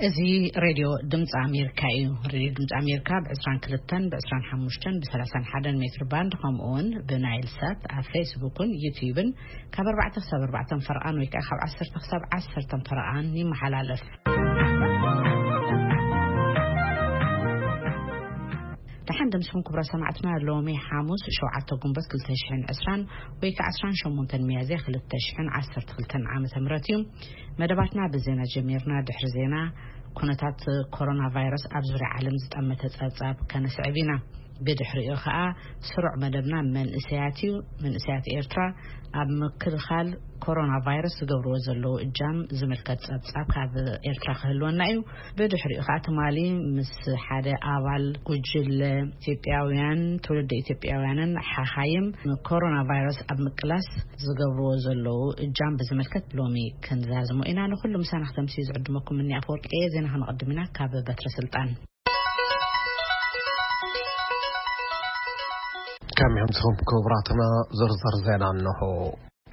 እዚ ሬድዮ ድምፂ ኣሜሪካ እዩ። ሬድዮ ድምፂ ኣሜሪካ ብ22፣ ብ25፣ ብ31 ሜትር ባንድ፣ ከምኡ እውን ብናይል ሳት ኣብ ፌስቡክን ዩቲዩብን ካብ ኣርባዕተ ክሳብ ኣርባዕተ ፈረቓን ወይ ከዓ ካብ ዓሰርተ ክሳብ ዓሰርተ ፈረቓን ይመሓላለፍ። ደሓን ደምስኹም ክቡራት ሰማዕትና፣ ሎሚ ሓሙስ ሸውዓተ ጉንበት ክልተ ሽሕን ዕስራን ወይ ከዓ ዕስራን ሸሞንተን ሚያዝያ ክልተ ሽሕን ዓሰርተ ክልተን ዓመተ ምህረት እዩ። መደባትና ብዜና ጀሚርና። ድሕሪ ዜና ኩነታት ኮሮና ቫይረስ ኣብ ዙርያ ዓለም ዝጠመተ ጸብጻብ ከነስዕብ ኢና። ብድሕሪኡ ኸኣ ስሩዕ መደብና መንእሰያት እዩ። መንእሰያት ኤርትራ ኣብ ምክልኻል ኮሮና ቫይረስ ዝገብርዎ ዘለዉ እጃም ዝምልከት ጸብጻብ ካብ ኤርትራ ክህልወና እዩ። ብድሕሪኡ ኸኣ ትማሊ ምስ ሓደ ኣባል ጉጅለ ኢትዮጵያውያን፣ ትውልዲ ኢትዮጵያውያንን ሓኻይም ኮሮና ቫይረስ ኣብ ምቅላስ ዝገብርዎ ዘለዉ እጃም ብዝምልከት ሎሚ ክንዛዝሞ ኢና። ንኹሉ ምሳና ክተምሲ ዝዕድመኩም እኒ ኣፈወርቂ እየ። ዜና ከነቐድም ኢና ካብ በትረ ስልጣን። ከመይ ኣምሲኹም ክቡራትና? ዝርዝር ዜና እንሆ።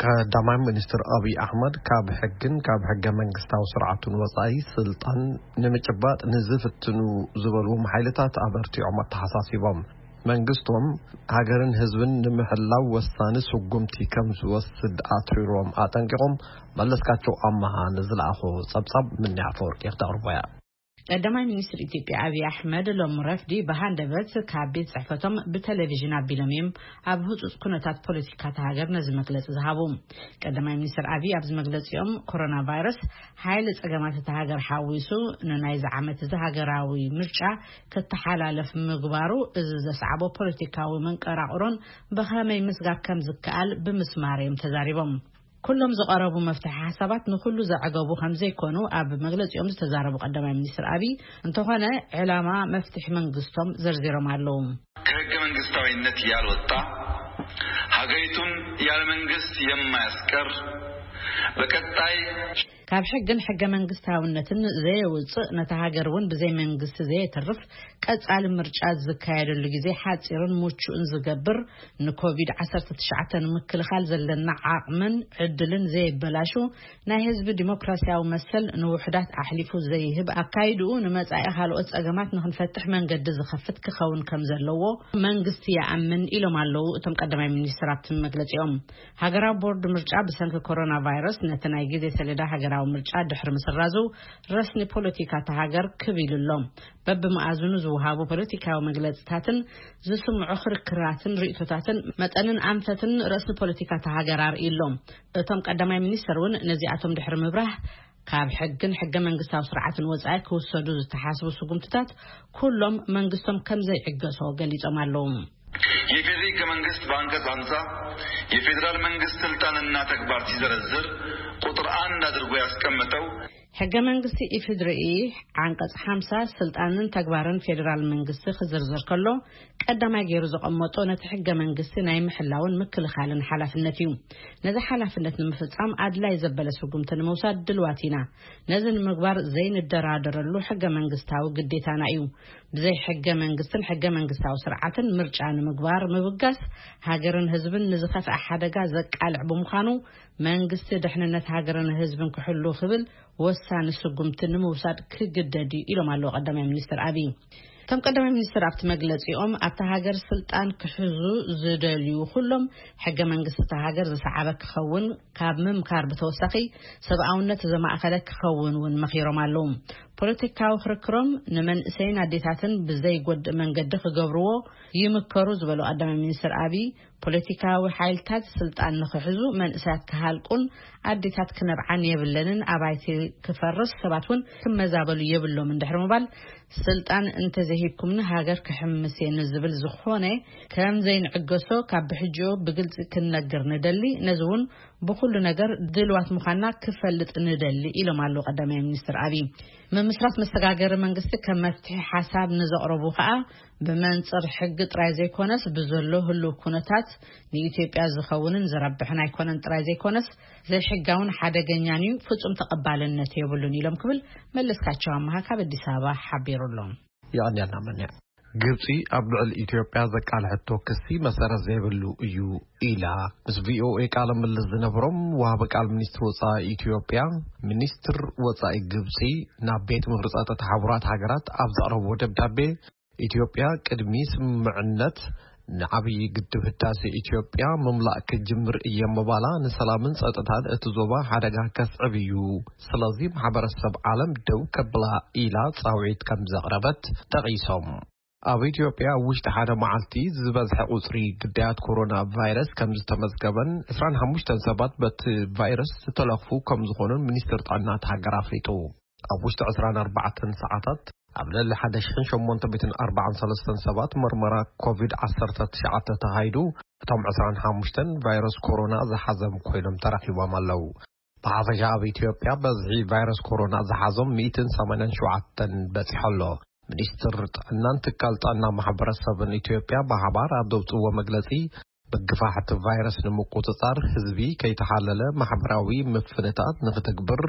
ቀዳማይ ሚኒስትር ኣብይ ኣሕመድ ካብ ሕግን ካብ ሕገ መንግስታዊ ስርዓቱን ወጻኢ ስልጣን ንምጭባጥ ንዝፍትኑ ዝበልዎም ሓይልታት ኣበርቲዖም ኣተሓሳሲቦም። መንግስቶም ሃገርን ህዝብን ንምሕላው ወሳኒ ስጉምቲ ከም ዝወስድ ኣትሪሮም ኣጠንቂቖም። መለስካቸው ኣመሃ ንዝለኣኾ ጸብጻብ ምንያ ኣፈወርቂ ክተቕርቦ እያ። ቀዳማይ ሚኒስትር ኢትዮጵያ ኣብይ ኣሕመድ ሎም ረፍዲ ብሃንደበት ካብ ቤት ጽሕፈቶም ብቴሌቪዥን ኣቢሎም እዮም ኣብ ህጹጽ ኩነታት ፖለቲካ እታ ሃገር ነዚ መግለጺ ዝሃቡ። ቀዳማይ ሚኒስትር ኣብይ ኣብዚ መግለጺኦም፣ ኮሮና ቫይረስ ሓይሊ ጸገማት እታ ሃገር ሓዊሱ ንናይዚ ዓመት እዚ ሃገራዊ ምርጫ ክተሓላለፍ ምግባሩ፣ እዚ ዘስዓቦ ፖለቲካዊ መንቀራቕሮን ብኸመይ ምስጋር ከም ዝከኣል ብምስማር እዮም ተዛሪቦም። ኩሎም ዝቐረቡ መፍትሒ ሓሳባት ንኹሉ ዘዕገቡ ከም ዘይኮኑ ኣብ መግለጺኦም ዝተዛረቡ ቀዳማይ ሚኒስትር ኣብይ፣ እንተኾነ ዕላማ መፍትሒ መንግስቶም ዘርዚሮም ኣለዉ። ከህገ መንግስታዊነት ያልወጣ፣ ሀገሪቱን ያለ መንግስት የማያስቀር፣ በቀጣይ ካብ ሕግን ሕገ መንግስታውነትን ዘየውፅእ፣ ነታ ሃገር እውን ብዘይ መንግስቲ ዘየትርፍ ቀጻሊ ምርጫ ዝካየደሉ ግዜ ሓጺርን ምቹእን ዝገብር፣ ንኮቪድ ዓሰርተ ትሽዓተ ንምክልኻል ዘለና ዓቕምን ዕድልን ዘየበላሹ፣ ናይ ህዝቢ ዲሞክራሲያዊ መሰል ንውሑዳት ኣሕሊፉ ዘይህብ፣ ኣካይድኡ ንመጻኢ ካልኦት ጸገማት ንኽንፈትሕ መንገዲ ዝኸፍት ክኸውን ከም ዘለዎ መንግስቲ ይኣምን ኢሎም ኣለዉ እቶም ቀዳማይ ሚኒስትር ኣብቲ መግለጺኦም። ሃገራዊ ቦርድ ምርጫ ብሰንኪ ኮሮና ቫይረስ ነቲ ናይ ግዜ ሰሌዳ ሃገራዊ ምርጫ ድሕሪ ምስራዙ፣ ረስኒ ፖለቲካ እታ ሃገር ክብ ኢሉ ኣሎ። በብመኣዝኑ ዝወሃቡ ፖለቲካዊ መግለጽታትን ዝስምዑ ክርክራትን ርእይቶታትን መጠንን ኣንፈትን ረስኒ ፖለቲካ እታ ሃገር ኣርእዩ ኣሎ። እቶም ቀዳማይ ሚኒስትር እውን ነዚኣቶም ድሕሪ ምብራህ፣ ካብ ሕግን ሕገ መንግስታዊ ስርዓትን ወጻኢ ክውሰዱ ዝተሓስቡ ስጉምትታት ኩሎም መንግስቶም ከም ዘይዕገሶ ገሊጾም ኣለዉ። የፌዴሪ ህገ መንግስት በአንቀጽ ሀምሳ የፌዴራል መንግስት ስልጣንና ተግባር ሲዘረዝር ቁጥር አንድ አድርጎ ያስቀመጠው ሕገ መንግስቲ ኢፌዴሪ ዓንቀጽ ሓምሳ ስልጣንን ተግባርን ፌዴራል መንግስቲ ክዝርዝር ከሎ፣ ቀዳማይ ገይሩ ዘቐመጦ ነቲ ሕገ መንግስቲ ናይ ምሕላውን ምክልኻልን ሓላፍነት እዩ። ነዚ ሓላፍነት ንምፍጻም ኣድላይ ዘበለ ስጉምቲ ንምውሳድ ድልዋት ኢና። ነዚ ንምግባር ዘይንደራደረሉ ሕገ መንግስታዊ ግዴታና እዩ። ብዘይ ሕገ መንግስትን ሕገ መንግስታዊ ስርዓትን ምርጫ ንምግባር ምብጋስ፣ ሃገርን ህዝብን ንዝኸፍአ ሓደጋ ዘቃልዕ ብምዃኑ፣ መንግስቲ ድሕንነት ሃገርን ህዝብን ክሕሉ ክብል ወሳኒ ስጉምቲ ንምውሳድ ክግደድ እዩ ኢሎም ኣለዉ ቀዳማይ ሚኒስትር ኣብይ። እቶም ቀዳማይ ሚኒስትር ኣብቲ መግለጺኦም፣ ኣብታ ሃገር ስልጣን ክሕዙ ዝደልዩ ኩሎም፣ ሕገ መንግስቲ እታ ሃገር ዝሰዓበ ክኸውን ካብ ምምካር ብተወሳኺ፣ ሰብኣውነት ዘማእኸለ ክኸውን እውን መኺሮም ኣለዉ። ፖለቲካዊ ክርክሮም ንመንእሰይን ኣዴታትን ብዘይጎድእ መንገዲ ክገብርዎ ይምከሩ ዝበሉ ቀዳማይ ሚኒስትር ኣብይ፣ ፖለቲካዊ ሓይልታት ስልጣን ንኽሕዙ፣ መንእሰያት ክሃልቁን ኣዴታት ክነብዓን የብለንን፣ ኣባይቲ ክፈርስ፣ ሰባት እውን ክመዛበሉ የብሎምን ድሕሪ ምባል፣ ስልጣን እንተዘይሂብኩምኒ ሃገር ክሕምስ እየ ንዝብል ዝኾነ ከም ዘይንዕገሶ ካብ ብሕጂኡ ብግልጺ ክንነግር ንደሊ፣ ነዚ እውን ብኹሉ ነገር ድልዋት ምዃንና ክፈልጥ ንደሊ ኢሎም ኣለዉ ቀዳማይ ሚኒስትር ኣብይ። ምምስራት መሰጋገሪ መንግስቲ ከም መፍትሒ ሓሳብ ንዘቕረቡ ከኣ፣ ብመንጽር ሕጊ ጥራይ ዘይኮነስ፣ ብዘሎ ህሉው ኩነታት ንኢትዮጵያ ዝኸውንን ዝረብሕን ኣይኮነን ጥራይ ዘይኮነስ፣ ዘይሕጋውን ሓደገኛን እዩ፣ ፍጹም ተቐባልነት የብሉን ኢሎም ክብል መለስካቸው ኣመሃ ካብ ኣዲስ ኣበባ ሓቢሩ ኣሎ። የቐንየልና መን ግብጺ ኣብ ልዕሊ ኢትዮጵያ ዘቃልሐቶ ክሲ መሰረት ዘይብሉ እዩ ኢላ። ምስ ቪኦኤ ቃለ ምልልስ ዝነበሮም ወሃቢ ቃል ሚኒስትሪ ወጻኢ ኢትዮጵያ፣ ሚኒስትር ወጻኢ ግብጺ ናብ ቤት ምኽሪ ጸጥታ ሕቡራት ሃገራት ኣብ ዘቕረብዎ ደብዳቤ፣ ኢትዮጵያ ቅድሚ ስምምዕነት ንዓብዪ ግድብ ህዳሴ ኢትዮጵያ ምምላእ ክጅምር እየ ምባላ፣ ንሰላምን ጸጥታን እቲ ዞባ ሓደጋ ከስዕብ እዩ። ስለዚ ማሕበረሰብ ዓለም ደው ከብላ ኢላ ጻውዒት ከም ዘቕረበት ጠቒሶም። ኣብ ኢትዮጵያ ኣብ ውሽጢ ሓደ መዓልቲ ዝበዝሐ ቁጽሪ ግዳያት ኮሮና ቫይረስ ከም ዝተመዝገበን ዕስራን ሓሙሽተን ሰባት በቲ ቫይረስ ዝተለኽፉ ከም ዝኾኑን ሚኒስትር ጥዕና እታ ሃገር ኣፍሊጡ። ኣብ ውሽጢ ዕስራን ኣርባዕተን ሰዓታት ኣብ ልዕሊ ሓደ ሽሕን ሸሞንተ ሚእትን ኣርባዓን ሰለስተን ሰባት መርመራ ኮቪድ ዓሰርተ ትሽዓተ ተኻይዱ፣ እቶም ዕስራን ሓሙሽተን ቫይረስ ኮሮና ዝሓዘም ኮይኖም ተረኺቦም ኣለዉ። ብሓፈሻ ኣብ ኢትዮጵያ በዝሒ ቫይረስ ኮሮና ዝሓዞም ሚእትን ሰማንያን ሸውዓተን በጺሑ ኣሎ። ሚኒስትር ጥዕናን ትካል ጥዕና ማሕበረሰብን ኢትዮጵያ ብሓባር ኣብ ዘውፅዎ መግለጺ፣ ምግፋሕ እቲ ቫይረስ ንምቁጽጻር ህዝቢ ከይተሓለለ ማሕበራዊ ምፍንታት ንክትግብር፣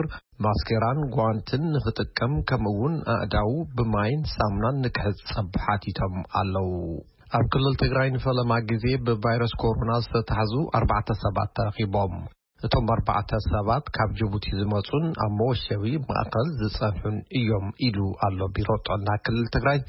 ማስኬራን ጓንትን ንክጥቀም፣ ከምኡ እውን ኣእዳው ብማይን ሳሙናን ንክሕጸብ ሓቲቶም ኣለዉ። ኣብ ክልል ትግራይ ንፈለማ ግዜ ብቫይረስ ኮሮና ዝተታሕዙ ኣርባዕተ ሰባት ተረኺቦም። እቶም ኣርባዕተ ሰባት ካብ ጅቡቲ ዝመጹን ኣብ መወሸቢ ማእከል ዝጸንሑን እዮም ኢሉ ኣሎ ቢሮ ጥዕና ክልል ትግራይ።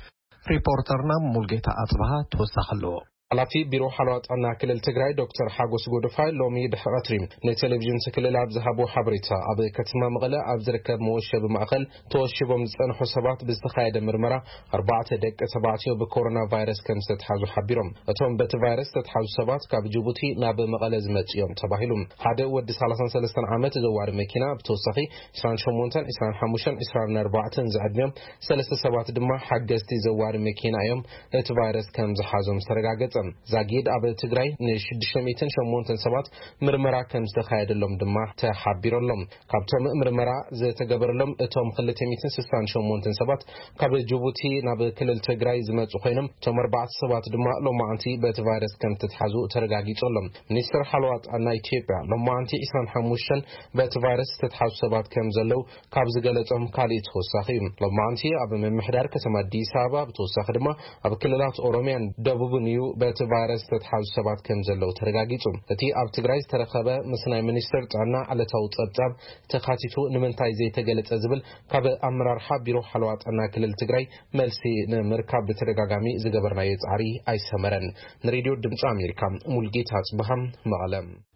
ሪፖርተርና ሙልጌታ ኣጽብሃ ተወሳኺ ኣለዎ። ሓላፊ ቢሮ ሓለዋ ጥዕና ክልል ትግራይ ዶክተር ሓጎስ ጎደፋይ ሎሚ ድሕሪ ቀትሪ ንቴሌቪዥን እቲ ክልል ኣብ ዝሃቦ ሓበሬታ፣ ኣብ ከተማ መቐለ ኣብ ዝርከብ መወሸቢ ማእከል ተወሺቦም ዝጸንሑ ሰባት ብዝተኻየደ ምርመራ ኣርባዕተ ደቂ ተባዕትዮ ብኮሮና ቫይረስ ከም ዝተትሓዙ ሓቢሮም። እቶም በቲ ቫይረስ ዝተትሓዙ ሰባት ካብ ጅቡቲ ናብ መቐለ ዝመጹ እዮም ተባሂሉ። ሓደ ወዲ ሰላሳን ሰለስተን ዓመት ዘዋሪ መኪና፣ ብተወሳኺ ዕስራን ሸሞንተን፣ ዕስራን ሓሙሽተን፣ ዕስራን ኣርባዕተን ዝዕድሚኦም ሰለስተ ሰባት ድማ ሓገዝቲ ዘዋሪ መኪና እዮም እቲ ቫይረስ ከም ዝሓዞም ዝተረጋገጸ። ዛጊድ ኣብ ትግራይ ንሽዱሽተ ሚእትን ሸሞንተን ሰባት ምርመራ ከም ዝተኻየደሎም ድማ ተሓቢሮሎም። ካብቶም ምርመራ ዝተገበረሎም እቶም ክልተ ሚእትን ስሳን ሸሞንተን ሰባት ካብ ጅቡቲ ናብ ክልል ትግራይ ዝመጹ ኮይኖም፣ እቶም ኣርባዕተ ሰባት ድማ ሎማዓንቲ በቲ ቫይረስ ከም ዝተትሓዙ ተረጋጊጹ ኣሎ። ሚኒስትር ሓለዋ ጥዕና ኢትዮጵያ ሎማዓንቲ ዕስራን ሓሙሽተን በቲ ቫይረስ ዝተትሓዙ ሰባት ከም ዘለዉ ካብ ዝገለጾም ካሊእ ተወሳኺ እዩ። ሎማዓንቲ ኣብ ምምሕዳር ከተማ ኣዲስ ኣበባ፣ ብተወሳኺ ድማ ኣብ ክልላት ኦሮሚያን ደቡብን እዩ በቲ ቫይረስ ዝተትሓዙ ሰባት ከም ዘለዉ ተረጋጊጹ። እቲ ኣብ ትግራይ ዝተረኸበ ምስ ናይ ሚኒስትር ጥዕና ዕለታዊ ጸብጻብ ተኻቲቱ ንምንታይ ዘይተገለጸ ዝብል ካብ ኣመራርሓ ቢሮ ሓለዋ ጥዕና ክልል ትግራይ መልሲ ንምርካብ ብተደጋጋሚ ዝገበርናዮ ጻዕሪ ኣይሰመረን። ንሬድዮ ድምፂ ኣሜሪካ፣ ሙልጌታ ኣጽብሃ፣ መቐለ።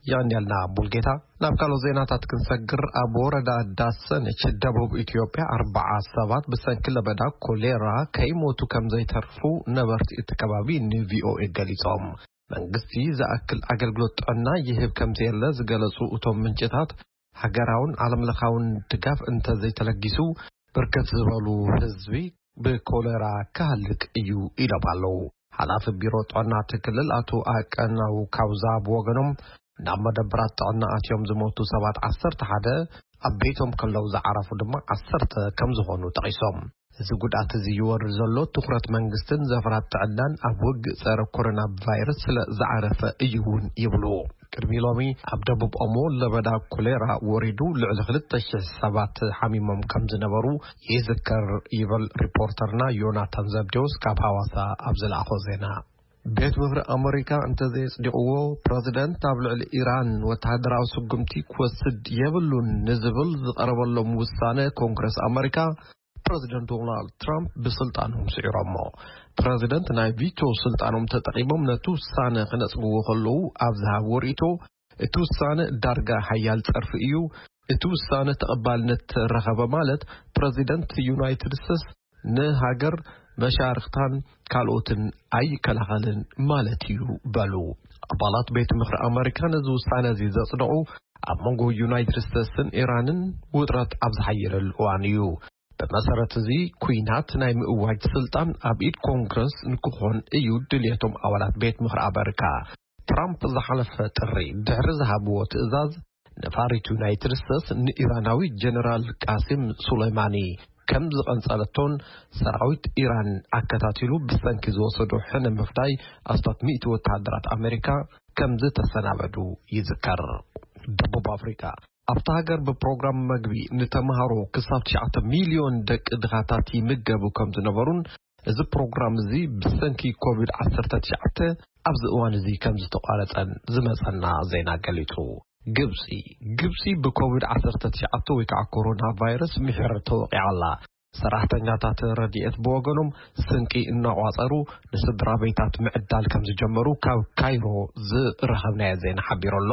የቐንየልና ሙልጌታ። ናብ ካልኦት ዜናታት ክንሰግር፣ ኣብ ወረዳ ዳሰነች ደቡብ ኢትዮጵያ ኣርባዓ ሰባት ብሰንኪ ለበዳ ኮሌራ ከይሞቱ ከም ዘይተርፉ ነበርቲ እቲ ከባቢ ንቪኦኤ ገሊጾም። መንግስቲ ዝኣክል ኣገልግሎት ጥዕና ይህብ ከም ዘየለ ዝገለጹ እቶም ምንጭታት፣ ሃገራውን ዓለምለኻውን ድጋፍ እንተዘይተለጊሱ፣ ብርክት ዝበሉ ህዝቢ ብኮሌራ ክሃልቅ እዩ ኢሎም ኣለዉ። ሓላፊ ቢሮ ጥዕና እቲ ክልል ኣቶ ኣቀናው ካውዛ ብወገኖም፣ ናብ መደበራት ጥዕና ኣትዮም ዝሞቱ ሰባት ዓሰርተ ሓደ፣ ኣብ ቤቶም ከለዉ ዝዓረፉ ድማ ዓሰርተ ከም ዝኾኑ ጠቒሶም። እዚ ጉድኣት እዚ ይወርድ ዘሎ ትኹረት መንግስትን ዘፈራት ጥዕናን ኣብ ውግእ ጸረ ኮሮና ቫይረስ ስለ ዝዓረፈ እዩ እውን ይብሉ። ቅድሚ ሎሚ ኣብ ደቡብ ኦሞ ለበዳ ኮሌራ ወሪዱ ልዕሊ ክልተ ሽሕ ሰባት ሓሚሞም ከም ዝነበሩ ይዝከር ይብል ሪፖርተርና ዮናታን ዘብዴዎስ ካብ ሃዋሳ ኣብ ዝለኣኾ ዜና። ቤት ምኽሪ ኣመሪካ እንተዘየጽዲቕዎ፣ ፕረዚደንት ኣብ ልዕሊ ኢራን ወተሃደራዊ ስጉምቲ ክወስድ የብሉን ንዝብል ዝቐረበሎም ውሳነ ኮንግረስ ኣመሪካ፣ ፕረዚደንት ዶናልድ ትራምፕ ብስልጣኖም ስዒሮሞ። ፕረዚደንት ናይ ቪቶ ስልጣኖም ተጠቒሞም ነቲ ውሳነ ክነጽግዎ ከለዉ ኣብ ዝሃብዎ ርእይቶ፣ እቲ ውሳነ ዳርጋ ሓያል ጸርፊ እዩ። እቲ ውሳነ ተቐባልነት ረኸበ ማለት፣ ፕረዚደንት ዩናይትድ ስቴትስ ንሃገር መሻርኽታን ካልኦትን ኣይከላኸልን ማለት እዩ በሉ። ኣባላት ቤት ምኽሪ ኣመሪካ ነዚ ውሳነ እዚ ዘጽደቑ ኣብ መንጎ ዩናይትድ ስቴትስን ኢራንን ውጥረት ኣብ ዝሓየለሉ እዋን እዩ። ብመሰረት እዚ፣ ኲናት ናይ ምእዋጅ ስልጣን ኣብ ኢድ ኮንግረስ ንክኾን እዩ ድልየቶም ኣባላት ቤት ምኽሪ ኣመሪካ። ትራምፕ ዝሓለፈ ጥሪ ድሕሪ ዝሃብዎ ትእዛዝ፣ ነፋሪት ዩናይትድ ስቴትስ ንኢራናዊ ጀነራል ቃሲም ሱሌማኒ ከም ዝቐንጸለቶን ሰራዊት ኢራን ኣከታቲሉ ብሰንኪ ዝወሰዶ ሕነ ምፍዳይ ኣስታት ሚእቲ ወተሃደራት ኣመሪካ ከም ዝተሰናበዱ ይዝከር። ደቡብ ኣፍሪካ፣ ኣብታ ሃገር ብፕሮግራም መግቢ ንተምሃሮ ክሳብ ትሽዓተ ሚልዮን ደቂ ድኻታት ይምገቡ ከም ዝነበሩን እዚ ፕሮግራም እዚ ብሰንኪ ኮቪድ ዓሰርተ ትሽዓተ ኣብዚ እዋን እዚ ከም ዝተቋረጸን ዝመጸና ዜና ገሊጹ። ግብጺ፣ ግብጺ ብኮቪድ ዓሰርተ ትሽዓተ ወይ ከዓ ኮሮና ቫይረስ ምሕር ተወቂዓ ኣላ። ሰራሕተኛታት ረድኤት ብወገኖም ስንቂ እናቋጸሩ ንስድራ ቤታት ምዕዳል ከም ዝጀመሩ ካብ ካይሮ ዝረኸብናዮ ዜና ሓቢሩ ኣሎ።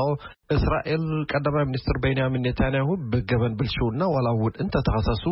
እስራኤል ቀዳማይ ሚኒስትር ቤንያሚን ኔታንያሁ ብገበን ብልሽውና ዋላ እውን እንተተኸሰሱ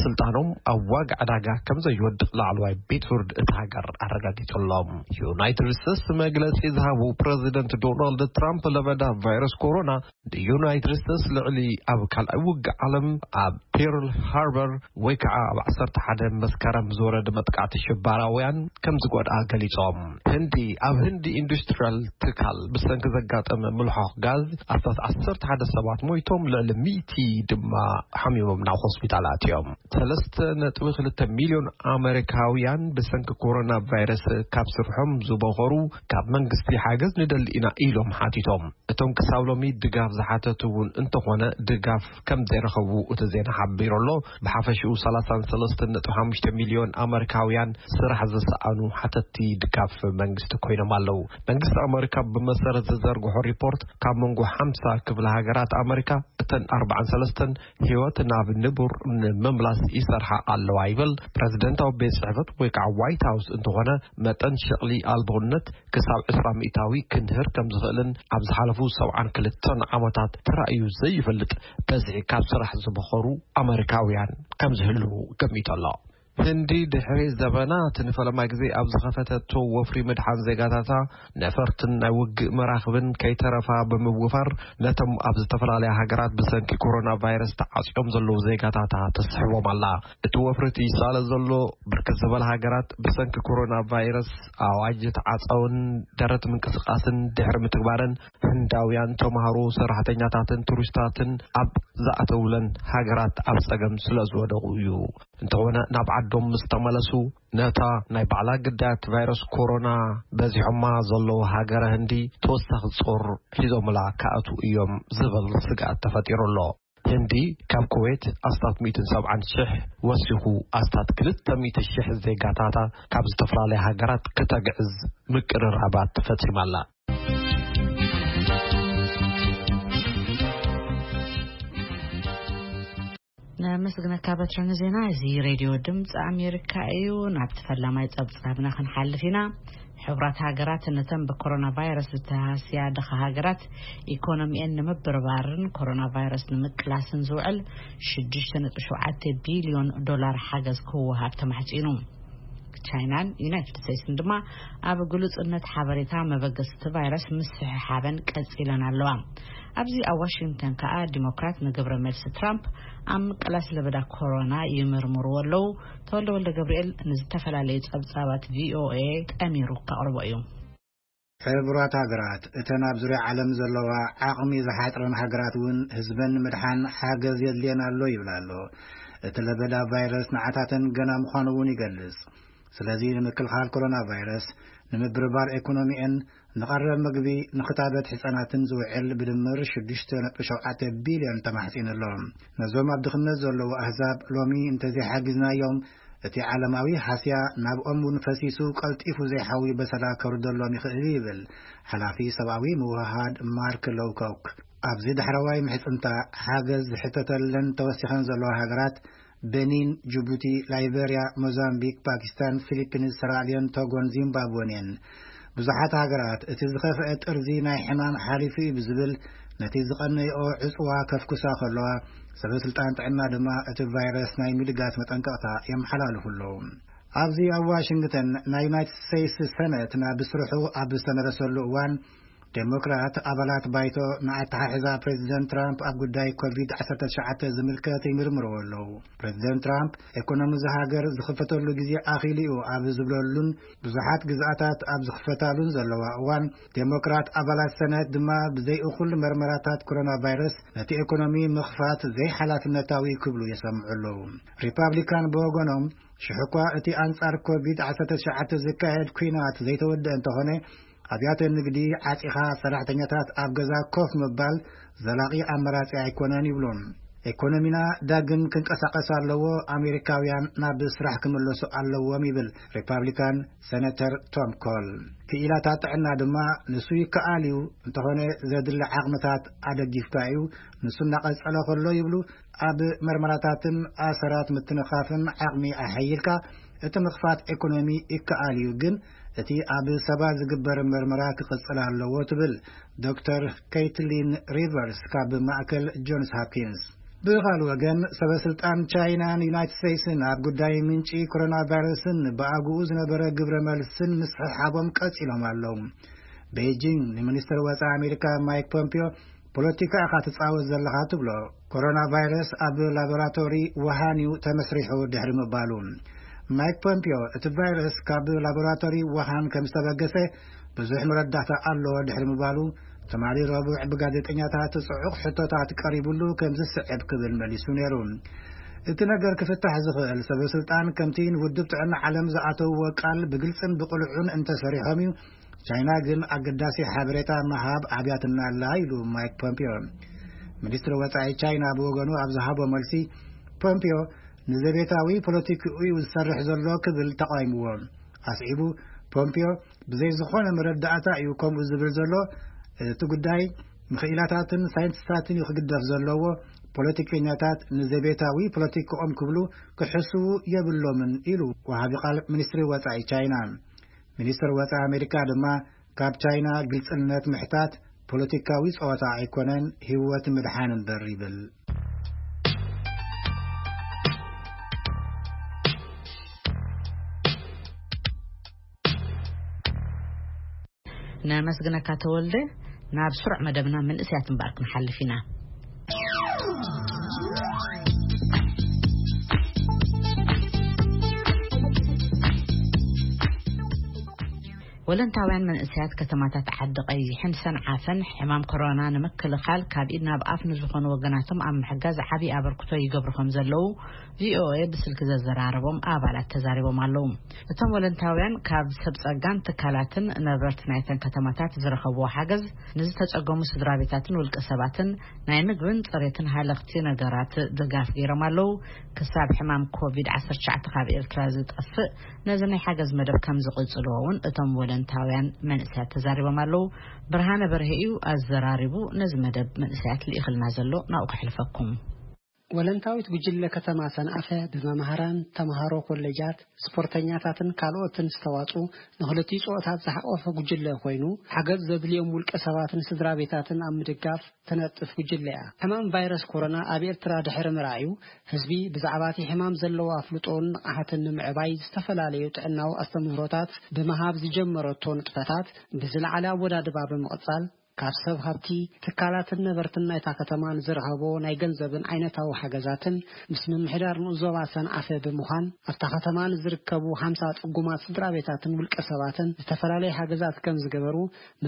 ስልጣኖም ኣብ ዋጋ ዕዳጋ ከም ዘይወድቕ ላዕለዋይ ቤት ፍርድ እቲ ሃገር ኣረጋጊጹሎም። ዩናይትድ ስቴትስ መግለጺ ዝሃቡ ፕረዚደንት ዶናልድ ትራምፕ ለበዳ ቫይረስ ኮሮና ንዩናይትድ ስቴትስ ልዕሊ ኣብ ካልኣይ ውግእ ዓለም ኣብ ፒርል ሃርበር ወይ ከዓ ኣብ ዓሰርተ ሓደ መስከረም ዝወረደ መጥቃዕቲ ሽባራውያን ከም ዝጎድኣ ገሊጾም። ህንዲ፣ ኣብ ህንዲ ኢንዱስትሪያል ትካል ብሰንኪ ዘጋጠመ ምልሖኽ ጋዝ ኣስታት ዓሰርተ ሓደ ሰባት ሞይቶም፣ ልዕሊ ሚእቲ ድማ ሓሚሞም ናብ ሆስፒታል ኣትዮም። ሰለስተ ነጥቢ ክልተ ሚልዮን ኣመሪካውያን ብሰንኪ ኮሮና ቫይረስ ካብ ስርሖም ዝበኸሩ ካብ መንግስቲ ሓገዝ ንደሊ ኢና ኢሎም ሓቲቶም። እቶም ክሳብ ሎሚ ድጋፍ ዝሓተቱ እውን እንተኾነ ድጋፍ ከም ዘይረኸቡ እቲ ዜና ሓቢሩ ኣሎ። ብሓፈሽኡ ሰላሳን ሰለስተን ነጥቢ ሓሙሽተ ሚልዮን ኣመሪካውያን ስራሕ ዝሰኣኑ ሓተቲ ድጋፍ መንግስቲ ኮይኖም ኣለዉ። መንግስቲ ኣመሪካ ብመሰረት ዝዘርግሖ ሪፖርት ካብ መንጎ ሓምሳ ክፍለ ሃገራት ኣመሪካ እተን ኣርባዓን ሰለስተን ህይወት ናብ ንቡር ንምምላስ ይሰርሓ ኣለዋ ይብል ፕረዚደንታዊ ቤት ጽሕፈት ወይ ከዓ ዋይት ሃውስ እንተኾነ መጠን ሸቕሊ ኣልቦነት ክሳብ ዕስራ ሚእታዊ ክንህር ከም ዝኽእልን ኣብ ዝሓለፉ ሰብዓን ክልተን ዓመታት ተራእዩ ዘይፈልጥ በዝሒ ካብ ስራሕ ዝበኸሩ ኣመሪካውያን ከም ዝህልዉ ገሚቱ ኣሎ። ህንዲ ድሕሪ ዘበናት ንፈለማ ግዜ ኣብ ዝኸፈተቶ ወፍሪ ምድሓን ዜጋታታ ነፈርትን ናይ ውግእ መራኽብን ከይተረፋ ብምውፋር ነቶም ኣብ ዝተፈላለያ ሃገራት ብሰንኪ ኮሮና ቫይረስ ተዓጽዮም ዘለዉ ዜጋታታ ተስሕቦም ኣላ። እቲ ወፍሪ እቲ ይሳለ ዘሎ ብርክት ዝበለ ሃገራት ብሰንኪ ኮሮና ቫይረስ ኣዋጅ ተዓጸውን ደረት ምንቅስቃስን ድሕሪ ምትግባረን ህንዳውያን ተምሃሮ፣ ሰራሕተኛታትን ቱሪስታትን ኣብ ዝኣተውለን ሃገራት ኣብ ጸገም ስለ ዝወደቑ እዩ። እንተኾነ ናብ ዓዶም ምስ ተመለሱ ነታ ናይ ባዕላ ግዳያት ቫይረስ ኮሮና በዚሖማ ዘለዉ ሃገረ ህንዲ ተወሳኺ ጾር ሒዞምላ ክኣትዉ እዮም ዝብል ስግኣት ተፈጢሩ ኣሎ። ህንዲ ካብ ኩዌት ኣስታት ሚእትን ሰብዓን ሽሕ ወሲኹ ኣስታት ክልተ ሚእቲ ሽሕ ዜጋታታ ካብ ዝተፈላለያ ሃገራት ክተግዕዝ ምቅርራባት ፈጺማ ኣላ። ነመስግነካ በትሪ ንዜና። እዚ ሬድዮ ድምፂ ኣሜሪካ እዩ። ናብቲ ፈላማይ ፀብፃብና ክንሓልፍ ኢና። ሕቡራት ሃገራት ነተን ብኮሮና ቫይረስ ዝተሃስያ ድኻ ሃገራት ኢኮኖሚኤን ንምብርባርን ኮሮና ቫይረስ ንምቅላስን ዝውዕል ሽዱሽተ ነጥቢ ሸውዓተ ቢልዮን ዶላር ሓገዝ ክወሃብ ተማሕፂኑ። ቻይናን ዩናይትድ ስቴትስን ድማ ኣብ ግሉጽነት ሓበሬታ መበገስቲ ቫይረስ ምስሕሓበን ቀጺለን ኣለዋ። ኣብዚ ኣብ ዋሽንግተን ከኣ ዲሞክራት ንግብረ መልሲ ትራምፕ ኣብ ምቅላስ ለበዳ ኮሮና ይምርምርዎ ኣለዉ። ተወልደ ወልደ ገብርኤል ንዝተፈላለዩ ጸብጻባት ቪኦኤ ጠሚሩ ከቕርቦ እዩ። ሕቡራት ሃገራት፣ እተን ኣብ ዙርያ ዓለም ዘለዋ ዓቕሚ ዝሓጽረን ሃገራት እውን ህዝበን ንምድሓን ሓገዝ የድልየን ኣሎ ይብል ኣሎ። እቲ ለበዳ ቫይረስ ንዓታተን ገና ምዃኑ እውን ይገልጽ። ስለዚ ንምክልኻል ኮሮና ቫይረስ፣ ንምብርባር ኤኮኖሚኤን፣ ንቐረብ ምግቢ፣ ንክታበት ህጻናትን ዝውዕል ብድምር ሽዱሽተ ነጥቢ ሸውዓተ ቢልዮን ተማሕጺኑ ኣሎ። ነዞም ኣብ ድኽነት ዘለዉ ኣህዛብ ሎሚ እንተዘይሓጊዝናዮም፣ እቲ ዓለማዊ ሃስያ ናብኦም እውን ፈሲሱ ቀልጢፉ ዘይሓዊ በሰላ ከውርደሎም ይኽእል ይብል ሓላፊ ሰብኣዊ ምውህሃድ ማርክ ሎውኮክ። ኣብዚ ዳሕረዋይ ምሕጽንታ ሓገዝ ዝሕተተለን ተወሲኸን ዘለዋ ሃገራት ቤኒን፣ ጅቡቲ፣ ላይበርያ፣ ሞዛምቢክ፣ ፓኪስታን፣ ፊሊፒንስ፣ ሰራልዮን፣ ቶጎን ዚምባብወን እየን። ብዙሓት ሃገራት እቲ ዝኸፍአ ጥርዚ ናይ ሕማም ሓሊፉ እዩ ብዝብል ነቲ ዝቐነየኦ ዕጽዋ ከፍኩሳ ከለዋ ሰበ ስልጣን ጥዕና ድማ እቲ ቫይረስ ናይ ምልጋስ መጠንቀቕታ የመሓላልፉ ኣለዉ። ኣብዚ ኣብ ዋሽንግተን ናይ ዩናይትድ ስቴትስ ሰነት ናብ ስርሑ ኣብ ዝተመለሰሉ እዋን ዴሞክራት ኣባላት ባይቶ ንኣተሓሕዛ ፕሬዚደንት ትራምፕ ኣብ ጉዳይ ኮቪድ ዓሰርተ ትሽዓተ ዝምልከት ይምርምርዎ ኣለዉ። ፕሬዚደንት ትራምፕ ኤኮኖሚ እዚ ሃገር ዝኽፈተሉ ግዜ ኣኺሉ እዩ ኣብ ዝብለሉን ብዙሓት ግዝኣታት ኣብ ዝኽፈታሉን ዘለዋ እዋን ዴሞክራት ኣባላት ሰነት ድማ ብዘይ እኹል መርመራታት ኮሮና ቫይረስ ነቲ ኤኮኖሚ ምኽፋት ዘይሓላፍነታዊ ክብሉ የሰምዑ ኣለዉ። ሪፓብሊካን ብወገኖም ሽሕ እኳ እቲ ኣንጻር ኮቪድ ዓሰርተ ትሽዓተ ዝካየድ ኲናት ዘይተወደአ እንተኾነ ኣብያተ ንግዲ ዓጺኻ ሰራሕተኛታት ኣብ ገዛ ኮፍ ምባል ዘላቒ ኣመራጺ ኣይኮነን ይብሉ። ኢኮኖሚና ዳግም ክንቀሳቐስ ኣለዎ፣ ኣሜሪካውያን ናብ ስራሕ ክምለሱ ኣለዎም ይብል ሪፓብሊካን ሴነተር ቶም ኮል። ክኢላታት ጥዕና ድማ ንሱ ይከኣል እዩ፣ እንተኾነ ዘድሊ ዓቕምታት ኣደጊፍካ እዩ፣ ንሱ እናቐጸለ ከሎ ይብሉ፣ ኣብ መርመራታትን ኣሰራት ምትንኻፍን ዓቕሚ ኣሐይልካ እቲ ምኽፋት ኢኮኖሚ ይከኣል እዩ፣ ግን እቲ ኣብ ሰባት ዝግበር መርመራ ክቕጽል ኣለዎ ትብል ዶክተር ኬትሊን ሪቨርስ ካብ ማእከል ጆንስ ሆፕኪንስ። ብኻልእ ወገን፣ ሰበ ስልጣን ቻይናን ዩናይትድ ስቴትስን ኣብ ጉዳይ ምንጪ ኮሮና ቫይረስን ብኣግኡ ዝነበረ ግብረ መልስን ምስሕሓቦም ቀጺሎም ኣለዉ። ቤጂንግ ንሚኒስትር ወጻኢ ኣሜሪካ ማይክ ፖምፒዮ ፖለቲካ ኢኻ ትጻወት ዘለኻ ትብሎ። ኮሮና ቫይረስ ኣብ ላቦራቶሪ ውሃን እዩ ተመስሪሑ ድሕሪ ምባሉ። ማይክ ፖምፒዮ እቲ ቫይረስ ካብ ላቦራቶሪ ውሃን ከም ዝተበገሰ ብዙሕ መረዳእታ ኣለዎ ድሕሪ ምባሉ፣ ትማሊ ረቡዕ ብጋዜጠኛታት ጽዑቕ ሕቶታት ቀሪቡሉ ከም ዝስዕብ ክብል መሊሱ ነይሩ። እቲ ነገር ክፍታሕ ዝኽእል ሰበ ስልጣን ከምቲ ንውድብ ጥዕና ዓለም ዝኣተውዎ ቃል ብግልጽን ብቕልዑን እንተሰሪሖም እዩ። ቻይና ግን ኣገዳሲ ሓበሬታ ምሃብ ኣብያትና ኣላ ኢሉ ማይክ ፖምፒዮ። ሚኒስትሪ ወጻኢ ቻይና ብወገኑ ኣብ ዝሃቦ መልሲ፣ ፖምፒዮ ንዘቤታዊ ፖለቲክኡ እዩ ዝሰርሕ ዘሎ ክብል ተቓዊምዎ። ኣስዒቡ፣ ፖምፒዮ ብዘይ ዝኾነ መረዳእታ እዩ ከምኡ ዝብል ዘሎ፣ እቲ ጉዳይ ምኽኢላታትን ሳይንቲስታትን እዩ ክግደፍ ዘለዎ፣ ፖለቲከኛታት ንዘቤታዊ ፖለቲክኦም ክብሉ ክሕስዉ የብሎምን ኢሉ ወሃቢ ቃል ሚኒስትሪ ወጻኢ ቻይና። ሚኒስትር ወጻኢ ኣሜሪካ ድማ ካብ ቻይና ግልጽነት ምሕታት ፖለቲካዊ ጸወታ ኣይኮነን፣ ህይወት ምድሓን እምበር ይብል። ነመስግነካ ተወልደ። ናብ ስሩዕ መደብና መንእሰያት እምበኣር ክንሓልፍ ኢና። ወለንታውያን መንእሰያት ከተማታት ዓዲ ቀይሕን ሰንዓፈን ሕማም ኮሮና ንምክልኻል ካብ ኢድ ናብ ኣፍ ንዝኾኑ ወገናቶም ኣብ ምሕጋዝ ዓብዪ ኣበርክቶ ይገብሩ ከም ዘለዉ ቪኦኤ ብስልኪ ዘዘራረቦም ኣባላት ተዛሪቦም ኣለዉ። እቶም ወለንታውያን ካብ ሰብ ጸጋን ትካላትን ነበርቲ ናይተን ከተማታት ዝረኸብዎ ሓገዝ ንዝተጸገሙ ስድራ ቤታትን ውልቀ ሰባትን ናይ ምግብን ጽሬትን ሃለኽቲ ነገራት ድጋፍ ገይሮም ኣለዉ። ክሳብ ሕማም ኮቪድ ዓሰርተ ትሽዓተ ካብ ኤርትራ ዝጠፍእ ነዚ ናይ ሓገዝ መደብ ከም ዝቕጽልዎ እውን እቶም ወለንታውያን መንእሰያት ተዛሪቦም ኣለዉ። ብርሃነ በርሄ እዩ ኣዘራሪቡ ነዚ መደብ መንእሰያት ልኢኽልና ዘሎ፣ ናብኡ ከሕልፈኩም። ወለንታዊት ጉጅለ ከተማ ሰንዓፈ ብመማህራን፣ ተምሃሮ ኮሌጃት፣ ስፖርተኛታትን ካልኦትን ዝተዋጹ ንኽልቲኡ ጾታታት ዝሓቆፈ ጉጅለ ኮይኑ፣ ሓገዝ ዘድልዮም ውልቀ ሰባትን ስድራ ቤታትን ኣብ ምድጋፍ ትነጥፍ ጉጅለ እያ። ሕማም ቫይረስ ኮሮና ኣብ ኤርትራ ድሕሪ ምርኣዩ፣ ህዝቢ ብዛዕባ እቲ ሕማም ዘለዎ ኣፍልጦን ንቕሓትን ንምዕባይ ዝተፈላለዩ ጥዕናዊ ኣስተምህሮታት ብምሃብ ዝጀመረቶ ንጥፈታት ብዝለዓለ ኣወዳድባ ብምቕጻል፣ ካብ ሰብ ሃብቲ፣ ትካላትን ነበርትን ናይታ ከተማ ንዝረኸቦ ናይ ገንዘብን ዓይነታዊ ሓገዛትን ምስ ምምሕዳር ንኡስ ዞባ ሰንዓፈ ብምዃን ኣብታ ከተማ ንዝርከቡ ሓምሳ ጽጉማት ስድራ ቤታትን ውልቀ ሰባትን ዝተፈላለዩ ሓገዛት ከም ዝገበሩ